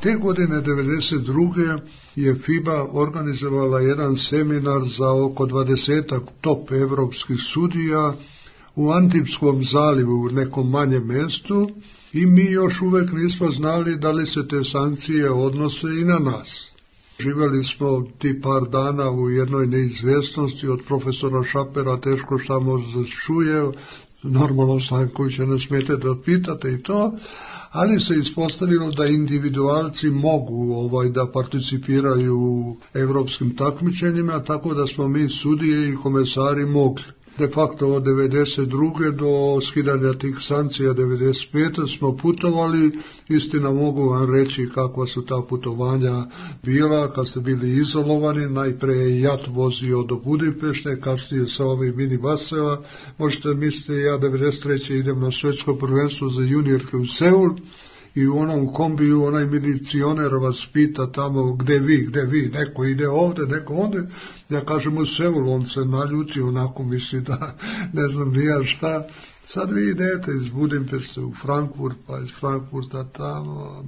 Te godine devedeset druge je F I B A organizovala jedan seminar za oko dvadesetak top evropskih sudija u Antipskom zalivu u nekom manjem mjestu i mi još uvek nismo znali da li se te sankcije odnose i na nas. Živjeli smo ti par dana u jednoj neizvjesnosti, od profesora Šapera teško šta može da čuje, normalno Stankovića ne smijete da pitate i to, ali se ispostavilo da individualci mogu ovaj da participiraju u evropskim takmičenjima, tako da smo mi sudije i komesari mogli. De facto od devedeset druge do skidanja tih sankcija devedeset pete smo putovali. Istina, mogu vam reći kakva su ta putovanja bila kad ste bili izolovani. Najpre je jat vozio do Budimpešte, kasnije sa ovih minibaseva. Možete misliti, ja devedeset treće idem na svjetsko prvenstvo za juniorke u Seul i u onom kombiju onaj milicioner vas pita tamo gde vi, gde vi, neko ide ovde, neko ovde. Ja kažem u Seul, on se naljuti, onako misli da ne znam nija šta. Sad vi idete iz Budimpešte u Frankfurt, pa iz Frankfurta tamo.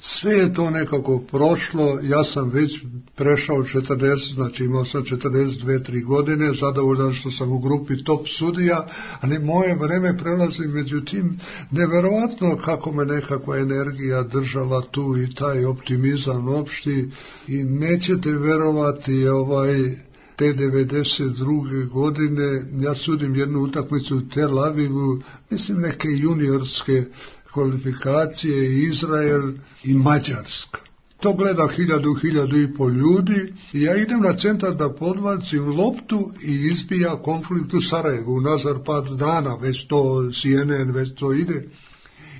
Sve je to nekako prošlo, ja sam već prešao četrdeset, znači imao sam četrdeset dve tri godine, zadovoljan što sam u grupi top sudija, ali moje vreme prelazi, međutim, neverovatno kako me nekakva energija držala tu i taj optimizam opšti i nećete verovati ovaj... Te devedeset druge godine ja sudim jednu utakmicu u Tel Avivu, mislim neke juniorske kvalifikacije, Izrael i Mađarska. To gleda hiljadu, hiljadu i pol ljudi i ja idem na centar da podbacim loptu i izbija konflikt u Sarajevu, nazar pad dana, već to C N N, već to ide.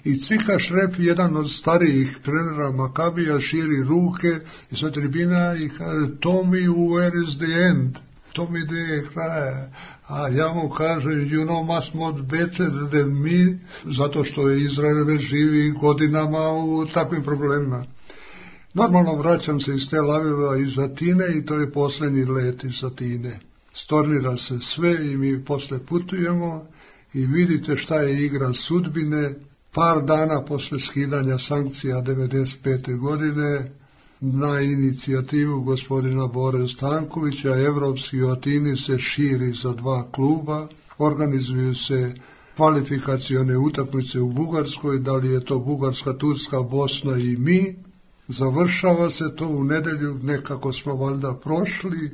I Cvika Šrep, jedan od starijih trenera Makabija, širi ruke i sa tribina i kaže, Tommy, where is the end? Tommy, gde je kraj? A ja mu kažem, you know much more better than me, zato što je Izrael već živi godinama u takvim problemima. Normalno vraćam se iz Tel Aviva iz Atine i to je posljednji let iz Atine. Stornira se sve i mi posle putujemo i vidite šta je igra sudbine. Par dana posle skidanja sankcija devedeset pete godine na inicijativu gospodina Bore Stankovića, evropski u Atini se širi za dva kluba, organizuju se kvalifikacione utakmice u Bugarskoj, da li je to Bugarska, Turska, Bosna i mi. Završava se to u nedelju, nekako smo valjda prošli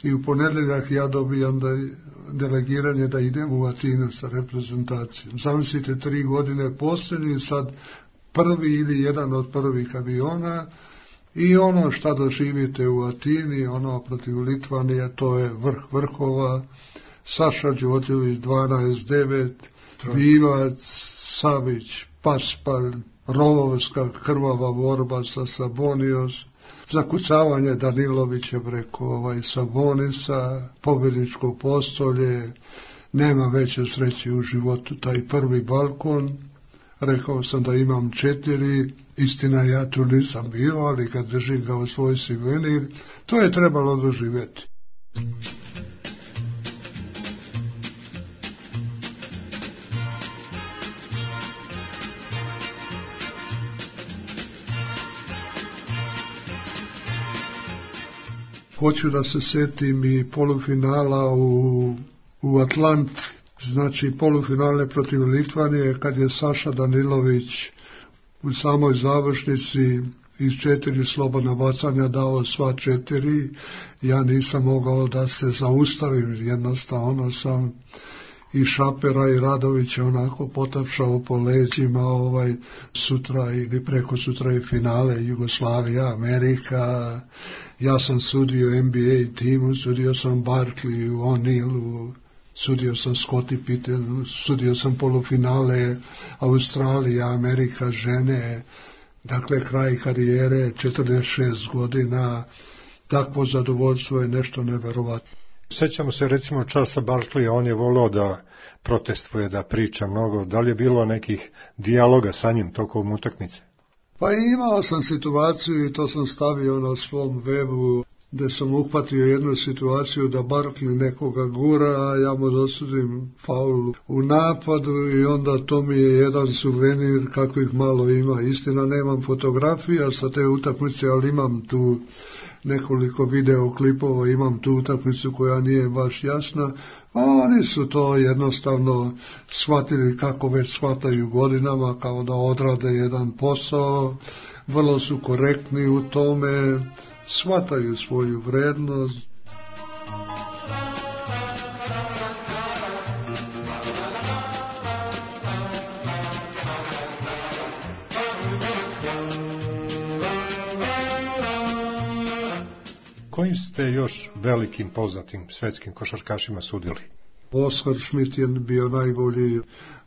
i u ponedeljak ja dobijam da delegiranje da idem u Atinu sa reprezentacijom. Zamislite, tri godine posljednji, sad prvi ili jedan od prvih aviona i ono šta doživite u Atini, ono protiv Litvanije, to je vrh vrhova. Saša Đorđević dvanaest devet, Divac, Savić, Paspalj, rovovska krvava borba sa Sabonios, zakucavanje Danilovića preko ovaj Sabonisa, pobjedničko postolje, nema veće sreće u životu, taj prvi balkon. Rekao sam da imam četiri, istina ja tu nisam bio, ali kad držim ga u svoj suvenir, to je trebalo doživjeti. Hoću da se setim i polufinala u, u Atlanti, znači polufinale protiv Litvanije, kad je Saša Danilović u samoj završnici iz četiri slobodna bacanja dao sva četiri. Ja nisam mogao da se zaustavim, jednostavno sam i Šapera i Radovića onako potapšao po leđima, ovaj, sutra ili preko sutra i finale Jugoslavija, Amerika. Ja sam sudio N B A timu, sudio sam Barkley, O'Neillu, sudio sam Scottie Pittenu, sudio sam polufinale Australija, Amerika, žene, dakle kraj karijere, četrdeset šest godina, takvo zadovoljstvo je nešto neverovatno. Sećamo se recimo Charlesa Barkleya, on je volao da protestvuje, da priča mnogo. Da li je bilo nekih dijaloga sa njim tokom utakmice? Pa imao sam situaciju i to sam stavio na svom webu, gde sam uhvatio jednu situaciju da Barkley nekoga gura, a ja mu dosudim faul u napadu i onda to mi je jedan suvenir kakvih malo ima. Istina, nemam fotografija sa te utakmice, ali imam tu nekoliko videoklipova, imam tu utakmicu koja nije baš jasna, a oni su to jednostavno shvatili kako već shvataju godinama, kao da odrade jedan posao, vrlo su korektni u tome, shvataju svoju vrednost. Kojim ste još velikim poznatim svetskim košarkašima sudili? Oskar Schmidt je bio najbolji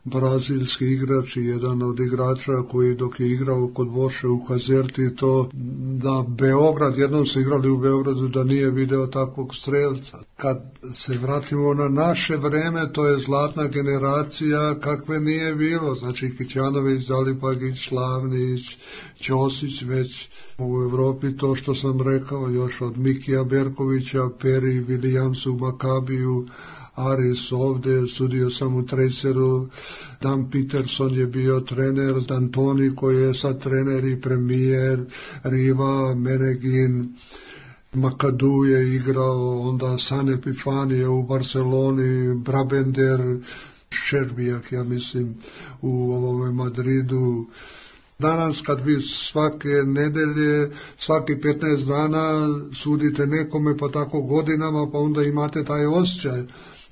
brazilski igrač i jedan od igrača koji dok je igrao kod Voše u Kazerti, to da Beograd, jednom su igrali u Beogradu da nije video takvog strelca. Kad se vratimo na naše vreme, to je zlatna generacija kakve nije bilo, znači Kićanović, Dalipagić, Slavnić, Ćosić, već u Evropi to što sam rekao još od Mikija Berkovića, Peri, Williamsu u Makabiju, Aris ovdje, sudio sam u Traceru, Dan Peterson je bio trener, D'Antoni koji je sad trener i premijer, Riva, Menegin, Makadu je igrao, onda San Epifanije u Barceloni, Brabender, Šerbijak, ja mislim, u ovome Madridu. Danas kad vi svake nedelje, svaki petnaest dana sudite nekome pa tako godinama, pa onda imate taj osjećaj.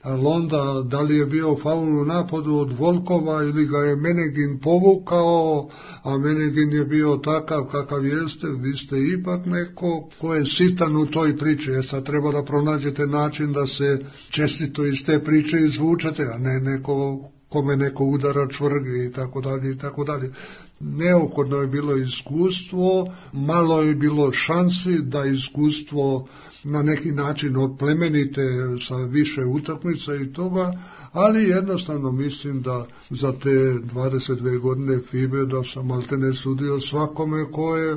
Ali onda, da li je bio faul u napadu od Volkova ili ga je Menegin povukao, a Menegin je bio takav kakav jeste, vi ste ipak neko ko je sitan u toj priči, jer sad treba da pronađete način da se čestito iz te priče izvučete, a ne neko kome neko udara čvrge i tako dalje i tako dalje. Neophodno je bilo iskustvo, malo je bilo šansi da iskustvo na neki način oplemenite sa više utakmica i toga, ali jednostavno mislim da za te dvadeset dve godine FIBE da sam maltene sudio svakome ko je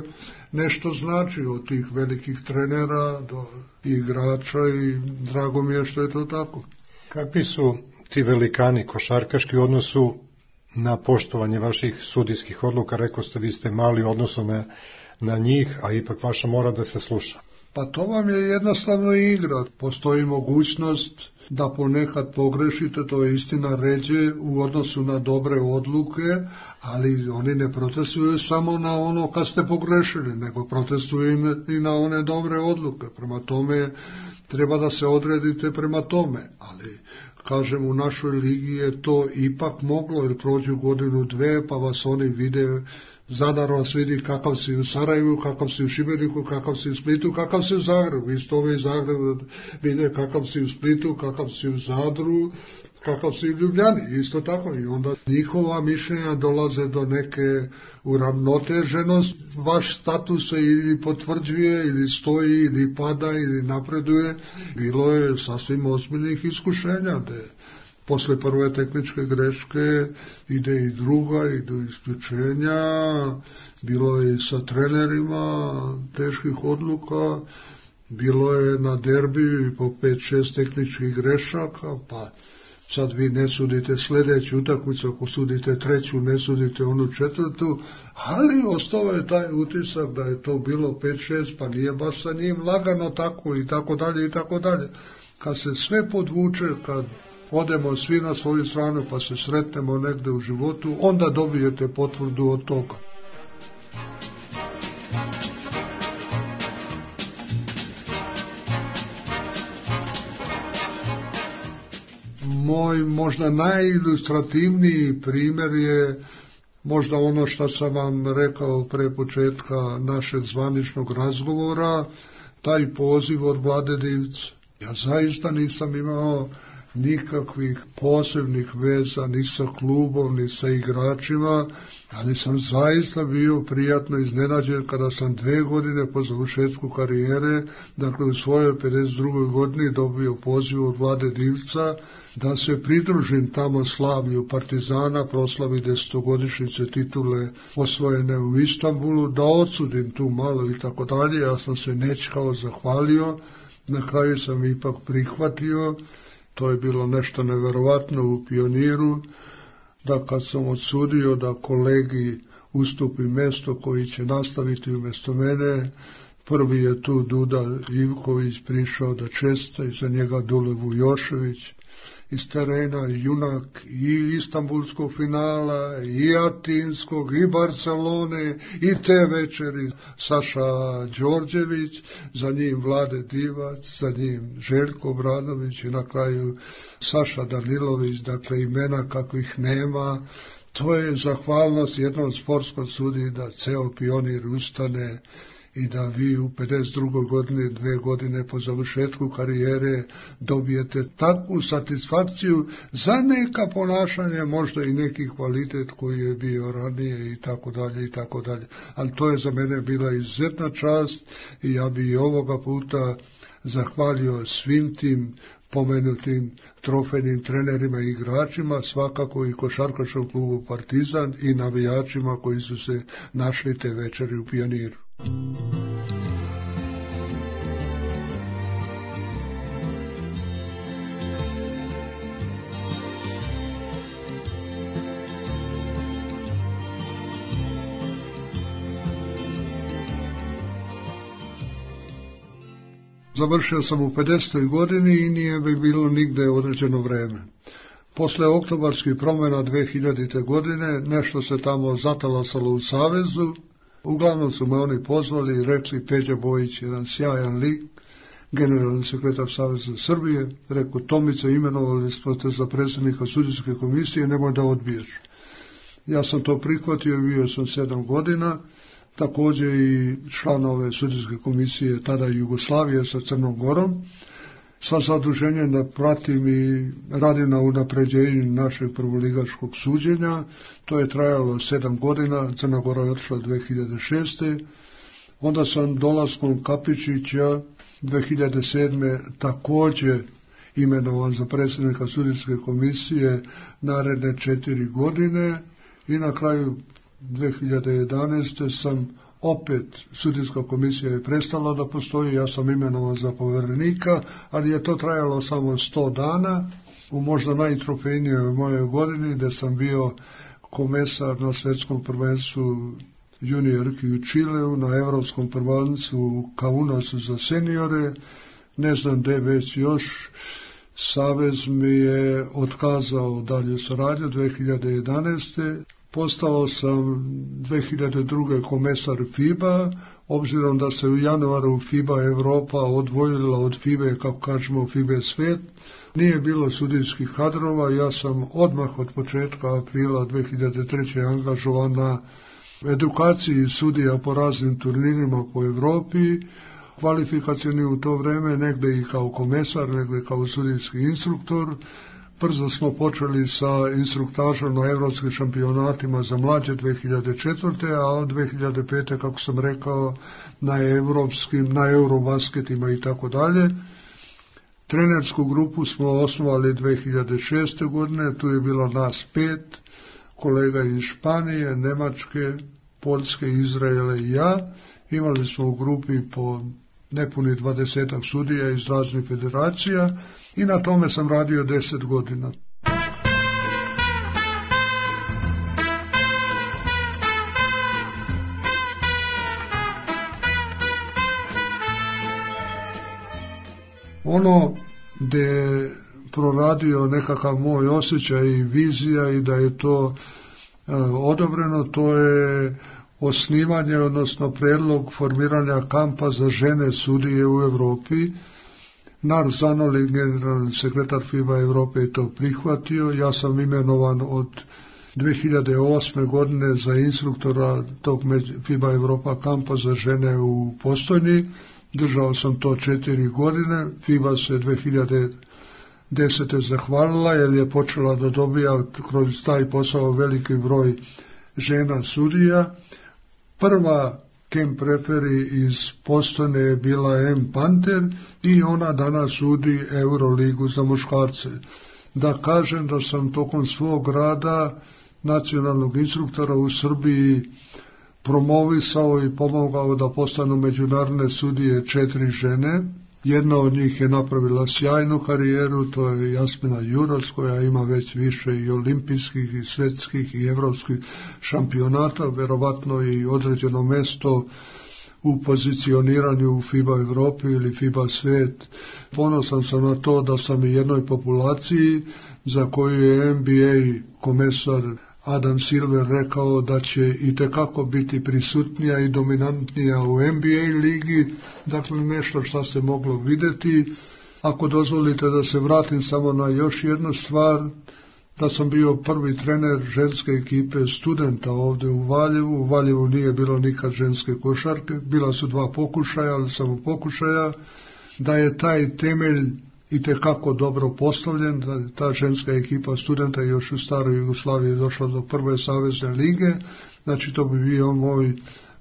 nešto znači od tih velikih trenera do igrača i drago mi je što je to tako. Kakvi su ti velikani košarkaški u odnosu na poštovanje vaših sudijskih odluka? Rekao ste, vi ste mali odnosno na, na njih, a ipak vaša mora da se sluša. Pa to vam je jednostavno igra. Postoji mogućnost da ponekad pogrešite, to je istina, ređe u odnosu na dobre odluke, ali oni ne protestuju samo na ono kad ste pogrešili, nego protestuju i na one dobre odluke. Prema tome treba da se odredite prema tome, ali kažem, u našoj ligi je to ipak moglo, jer prođu godinu dve, pa vas oni vide, Zadar vas vidi kakav si u Sarajevu, kakav si u Šibeniku, kakav si u Splitu, kakav si u Zagrebu. Isto ove iz Zagreba vide kakav si u Splitu, kakav si u Zadru, kakav si u Ljubljani. Isto tako. I onda njihova mišljenja dolaze do neke uravnoteženosti. Vaš status se ili potvrđuje, ili stoji, ili pada, ili napreduje. Bilo je sasvim ozbiljnih iskušenja, da je posle prve tehničke greške ide i druga, idu isključenja, bilo je i sa trenerima teških odluka, bilo je na derbiju i po pet šest tehničkih grešaka, pa sad vi ne sudite sljedeću utakmicu, ako sudite treću, ne sudite onu četvrtu, ali ostao je taj utisak da je to bilo pet šest, pa nije baš sa njim lagano tako i tako dalje i tako dalje. Kad se sve podvuče, kad odemo svi na svoju stranu pa se sretnemo negde u životu, onda dobijete potvrdu od toga. Moj možda najilustrativniji primjer je možda ono što sam vam rekao pre početka našeg zvaničnog razgovora, taj poziv od Vlade Divca. Ja zaista nisam imao nikakvih posebnih veza ni sa klubom, ni sa igračima, ali sam zaista bio prijatno iznenađen kada sam dve godine po završetku karijere, dakle u svojoj pedeset drugoj godini dobio poziv od Vlade Divca da se pridružim tamo slavlju Partizana, proslavi desetogodišnjice titule osvojene u Istanbulu, da odsudim tu malo i tako dalje. Ja sam se nečkao zahvalio, na kraju sam ipak prihvatio. To je bilo nešto neverovatno u Pioniru, da kad sam odsudio da kolegi ustupi mesto koji će nastaviti umjesto mene, prvi je tu Duda Ivković prišao da česta, i za njega Dule Vujošević, iz terena junak i Istanbulskog finala, i Atinskog, i Barcelone, i te večeri Saša Đorđević, za njim Vlade Divac, za njim Željko Obradović i na kraju Saša Danilović, dakle imena kakvih nema. To je zahvalnost jednom sportskom sudiji da ceo Pionir ustane i da vi u pedeset drugoj godini, dve godine po završetku karijere, dobijete takvu satisfakciju za neka ponašanja, možda i neki kvalitet koji je bio ranije i tako dalje i tako dalje. Ali to je za mene bila izuzetna čast i ja bi i ovoga puta zahvalio svim tim pomenutim trofejnim trenerima i igračima, svakako i košarkaškom klubu Partizan i navijačima koji su se našli te večeri u Pioniru. Završio sam u pedesetoj godini i nije bi bilo nigde određeno vreme. Posle oktobarskih promjena dve hiljadite godine nešto se tamo zatalasalo u Savezu. Uglavnom su me oni pozvali i rekli: Peđa Bojić, jedan sjajan lik, generalni sekretar Saveza Srbije, rekao: Tomice, imenovali smo te za predsjednika sudijske komisije, nemoj da odbiješ. Ja sam to prihvatio, bio sam sedam godina, također i članove sudijske komisije tada Jugoslavije sa Crnom Gorom, sa zaduženjem da pratim i radim na unapređenju našeg prvoligaškog suđenja. To je trajalo sedam godina, Crna Gora je otišla dve hiljade šeste. Onda sam dolaskom Kapičića dve hiljade sedme također imenovan za predsjednika sudijske komisije naredne četiri godine i na kraju dve hiljade jedanaeste sam opet, sudijska komisija je prestala da postoji, ja sam imenovan za povjerenika, ali je to trajalo samo sto dana, u možda najtrofejnijoj mojoj godini, gdje sam bio komesar na svjetskom prvenstvu juniorki u Čileu, na evropskom prvenstvu u Kaunasu za seniore, ne znam gde već još. Savez mi je otkazao dalje saradnju dve hiljade jedanaeste. Postao sam dve hiljade druge komesar FIBA, obzirom da se u januaru FIBA Evropa odvojila od FIBA, kako kažemo FIBA svet. Nije bilo sudijskih kadrova, ja sam odmah od početka aprila dve hiljade treće. angažovan na edukaciji sudija po raznim turnirima po Evropi, kvalifikacijni u to vreme, negde i kao komesar, negde kao sudijski instruktor. Brzo smo počeli sa instruktažom na evropskim šampionatima za mlađe dve hiljade četvrte. a od dve hiljade pete. kako sam rekao, na evropskim, na eurobasketima i tako dalje. Trenersku grupu smo osnovali dve hiljade šeste. godine, tu je bilo nas pet, kolega iz Španije, Nemačke, Poljske, Izraela i ja. Imali smo u grupi po nepuni dvadesetak sudija iz raznih federacija i na tome sam radio deset godina. Ono gde je proradio nekakav moj osjećaj i vizija i da je to e, odobreno, to je osnivanje, odnosno predlog formiranja kampa za žene sudije u Evropi. Nar Zanoli, generalni sekretar FIBA Evrope, je to prihvatio. Ja sam imenovan od dve hiljade osme. godine za instruktora tog FIBA Evropa kampa za žene u Postojni. Držao sam to četiri godine. FIBA se dve hiljade desete. zahvalila jer je počela da dobija kroz taj posao veliki broj žena sudija. Prva camp referi iz Postojne je bila M. Panter i ona danas sudi Euroligu za muškarce. Da kažem da sam tokom svog rada nacionalnog instruktora u Srbiji promovisao i pomogao da postanu međunarodne sudije četiri žene. Jedna od njih je napravila sjajnu karijeru, to je Jasmina Juras, koja ima već više i olimpijskih i svetskih i evropskih šampionata, verovatno i određeno mesto u pozicioniranju u FIBA Evropi ili FIBA svet. Ponosan sam na to da sam i jednoj populaciji za koju je N B A komesar Adam Silver rekao da će i tekako biti prisutnija i dominantnija u N B A ligi, dakle nešto što se moglo videti. Ako dozvolite da se vratim samo na još jednu stvar, da sam bio prvi trener ženske ekipe studenta ovdje u Valjevu. U Valjevu nije bilo nikad ženske košarke, bila su dva pokušaja, ali samo pokušaja, da je taj temelj i tekako dobro postavljen, da je ta ženska ekipa studenta još u staroj Jugoslaviji došla do prve savezne lige. Znači to bi bio moj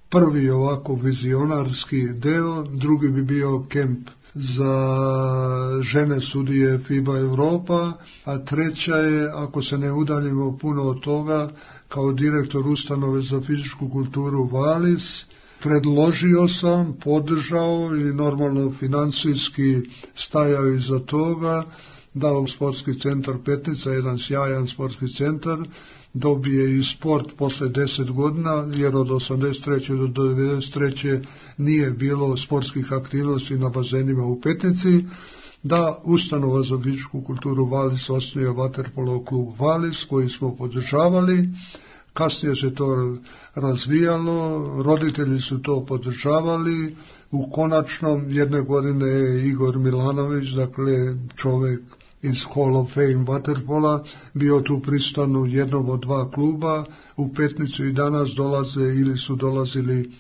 prvi ovako vizionarski deo, drugi bi bio kemp za žene sudije FIBA Evropa, a treća je, ako se ne udaljimo puno od toga, kao direktor ustanove za fizičku kulturu Valis, predložio sam, podržao i normalno financijski stajao iza toga da u sportski centar Petnica, jedan sjajan sportski centar, dobije i sport posle deset godina, jer od osamdeset treće do devedeset treće nije bilo sportskih aktivnosti na bazenima u Petnici, da ustanova za fizičku kulturu Valis osnuje vaterpolo klub Valis, koji smo podržavali. Kasnije se to razvijalo, roditelji su to podržavali. U konačnom jedne godine je Igor Milanović, dakle čovjek iz Hall of Fame vaterpola, bio tu prisutan u jednom od dva kluba. U Petnicu i danas dolaze ili su dolazili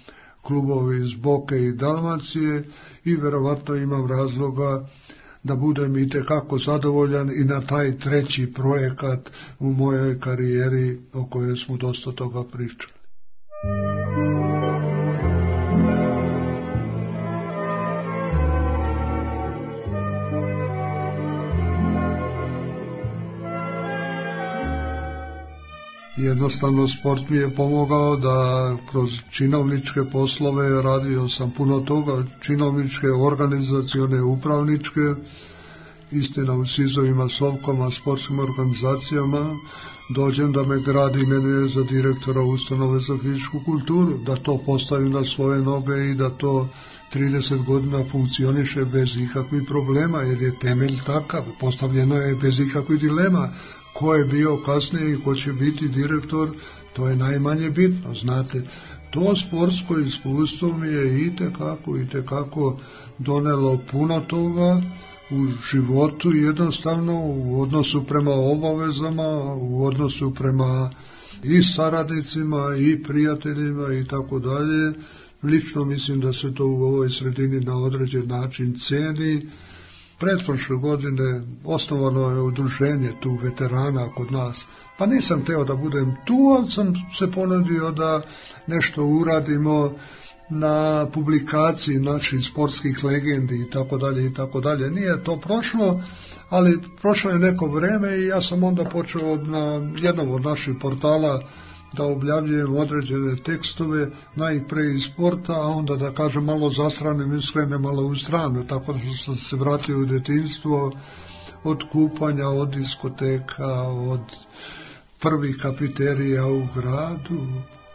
klubovi iz Boke i Dalmacije i verovatno imam razloga da budem i tekako zadovoljan i na taj treći projekat u mojoj karijeri o kojoj smo dosta toga pričali. Jednostavno sport mi je pomogao da kroz činovničke poslove radio sam puno toga, činovničke, organizacione, upravničke istina u sizovima, sovkama, sportskim organizacijama, dođem da me grad imenuje za direktora ustanove za fizičku kulturu, da to postavim na svoje noge i da to trideset godina funkcioniše bez ikakvih problema, jer je temelj takav, postavljeno je bez ikakvih dilema. Ko je bio kasnije i ko će biti direktor, to je najmanje bitno, znate. To sportsko iskustvo mi je itekako, itekako donelo puno toga u životu, jednostavno u odnosu prema obavezama, u odnosu prema i saradnicima i prijateljima i tako dalje. Lično mislim da se to u ovoj sredini na određen način ceni. Pretprošle godine osnovano je udruženje tu veterana kod nas. Pa nisam teo da budem tu, ali sam se ponudio da nešto uradimo na publikaciji naših sportskih legendi i tako dalje i tako dalje. Nije to prošlo, ali prošlo je neko vreme i ja sam onda počeo na jednom od naših portala da objavljujem određene tekstove, najpre iz sporta, a onda da kažem malo zastranim i skrenem malo u stranu, tako da sam se vratio u detinjstvo, od kupanja, od diskoteka, od prvih kafeterija u gradu,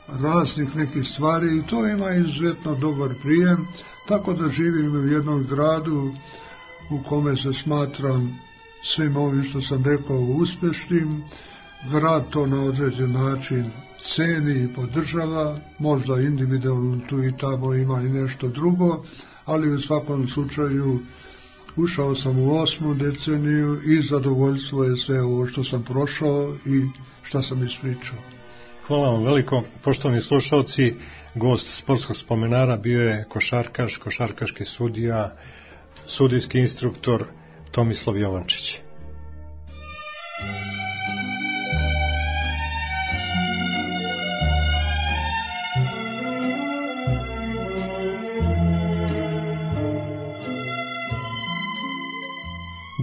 raznih nekih stvari i to ima izuzetno dobar prijem, tako da živim u jednom gradu u kome se smatram svim ovim što sam rekao uspešnim. Grad to na određen način ceni i podržava, možda individualno tu i tamo ima i nešto drugo, ali u svakom slučaju ušao sam u osmu deceniju i zadovoljstvo je sve ovo što sam prošao i što sam ispričao. Hvala vam veliko, poštovani slušalci. Gost sportskog spomenara bio je košarkaš, košarkaški sudija, sudijski instruktor Tomislav Jovančić.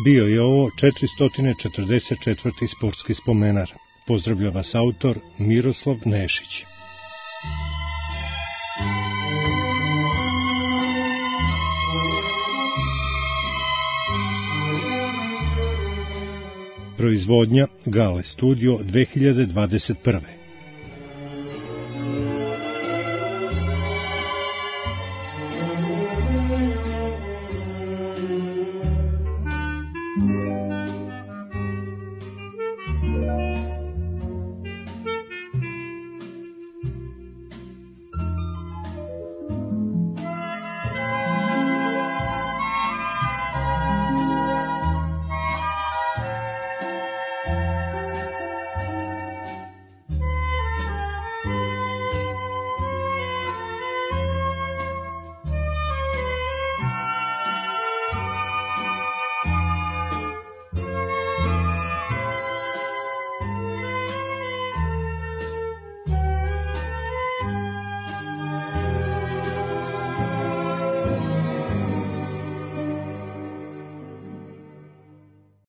Bio je ovo četiristo četrdeset četvrti sportski spomenar. Pozdravlja vas autor Miroslav Nešić. Proizvodnja Gale Studio dve hiljade dvadeset prve.